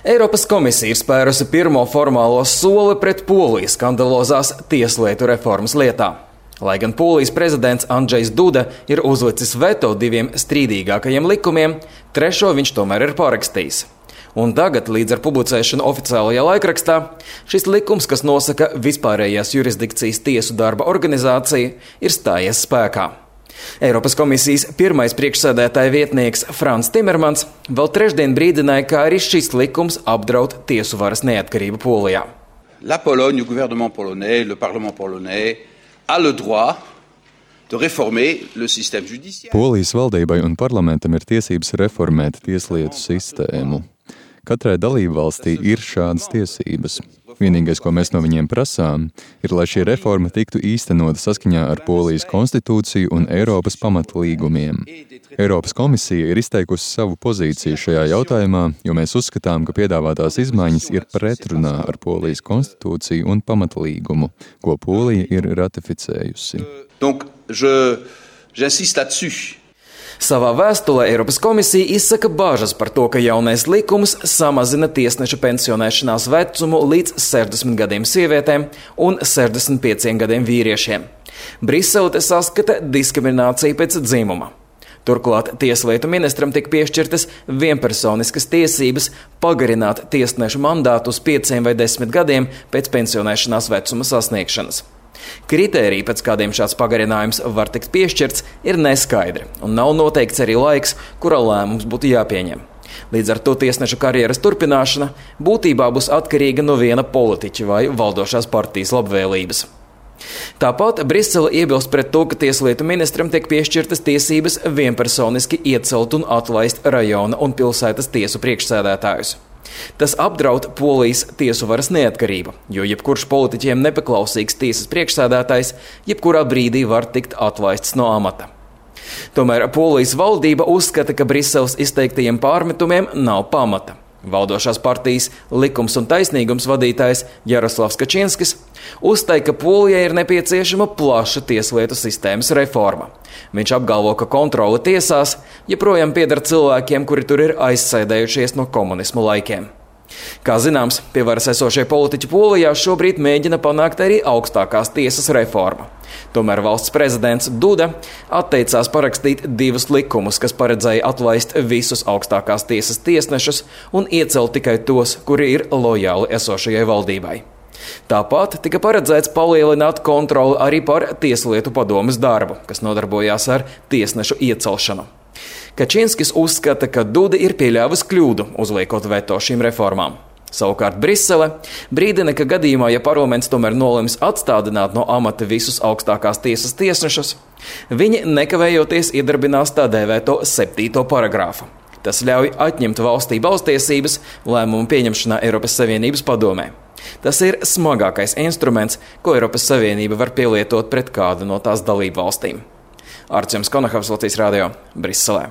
Eiropas komisija ir spērusi pirmo formālo soli pret Polijas skandalozās tieslietu reformas lietā. Lai gan Polijas prezidents Andžejs Duda ir uzlicis veto diviem strīdīgākajiem likumiem, trešo viņš tomēr ir parakstījis. Un tagad, līdz ar publicēšanu oficiālajā laikrakstā, šis likums, kas nosaka vispārējās jurisdikcijas tiesu darba organizāciju, ir stājies spēkā. Eiropas komisijas pirmais priekšsēdētāja vietnieks Frans Timermans vēl trešdien brīdināja, ka arī šis likums apdraud tiesu varas neatkarību Polijā. La Pologne, le gouvernement polonais, le parlement polonais a le droit de réformer le système judiciaire. Polijas valdībai un parlamentam ir tiesības reformēt tieslietu sistēmu. Katrai dalībvalstī ir šādas tiesības. Vienīgais, ko mēs no viņiem prasām, ir, lai šī reforma tiktu īstenota saskaņā ar Polijas konstitūciju un Eiropas pamatlīgumiem. Eiropas komisija ir izteikusi savu pozīciju šajā jautājumā, jo mēs uzskatām, ka piedāvātās izmaiņas ir pretrunā ar Polijas konstitūciju un pamatlīgumu, ko Polija ir ratificējusi. Donc, j'insiste là-dessus. Savā vēstulē Eiropas komisija izsaka bāžas par to, ka jaunais likums samazina tiesneša pensionēšanās vecumu līdz 60 gadiem sievietēm un 65 gadiem vīriešiem. Brisele te saskata diskrimināciju pēc dzimuma. Turklāt tieslietu ministram tika piešķirtas vienpersoniskas tiesības pagarināt tiesnešu mandātu uz 5 vai 10 gadiem pēc pensionēšanās vecuma sasniegšanas. Kritēriji, pēc kādiem šāds pagarinājums var tikt piešķirts, ir neskaidri, un nav noteikts arī laiks, kurā lēmums būtu jāpieņem. Līdz ar to tiesneša karjeras turpināšana būtībā būs atkarīga no viena politiķa vai valdošās partijas labvēlības. Tāpat Brisele iebilst pret to, ka tieslietu ministram tiek piešķirtas tiesības vienpersoniski iecelt un atlaist rajona un pilsētas tiesu priekšsēdētājus. Tas apdraud Polijas tiesu varas neatkarību, jo jebkurš politiķiem nepaklausīgs tiesas priekšsēdētājs jebkurā brīdī var tikt atlaists no amata. Tomēr Polijas valdība uzskata, ka Briseles izteiktajiem pārmetumiem nav pamata. Valdošās partijas Likums un taisnīgums vadītājs Jaroslavs Kačinskis uzstāja, ka Polijai ir nepieciešama plaša tieslietu sistēmas reforma. Viņš apgalvo, ka kontrole tiesās joprojām pieder cilvēkiem, kuri tur ir aizsēdējušies no komunismu laikiem. Kā zināms, pie varas esošie politiķi Polijā šobrīd mēģina panākt arī augstākās tiesas reformu. Tomēr valsts prezidents Duda atteicās parakstīt divus likumus, kas paredzēja atlaist visus augstākās tiesas tiesnešus un iecelt tikai tos, kuri ir lojāli esošajai valdībai. Tāpat tika paredzēts palielināt kontroli arī par tieslietu padomes darbu, kas nodarbojās ar tiesnešu iecelšanu. Kačinskis uzskata, ka Duda ir pieļāvis kļūdu, uzliekot veto šīm reformām. Savukārt Brisele brīdina, ka gadījumā, ja parlaments tomēr nolems atstādināt no amata visus augstākās tiesas tiesnešus, viņi nekavējoties iedarbinās tā dēvēto 7. paragrāfu. Tas ļauj atņemt valstī balstiesības lēmumu pieņemšanā Eiropas Savienības padomē. Tas ir smagākais instruments, ko Eiropas Savienība var pielietot pret kādu no tās dalību valstīm. Artjoms Konahavs, Latvijas radio, Briselē.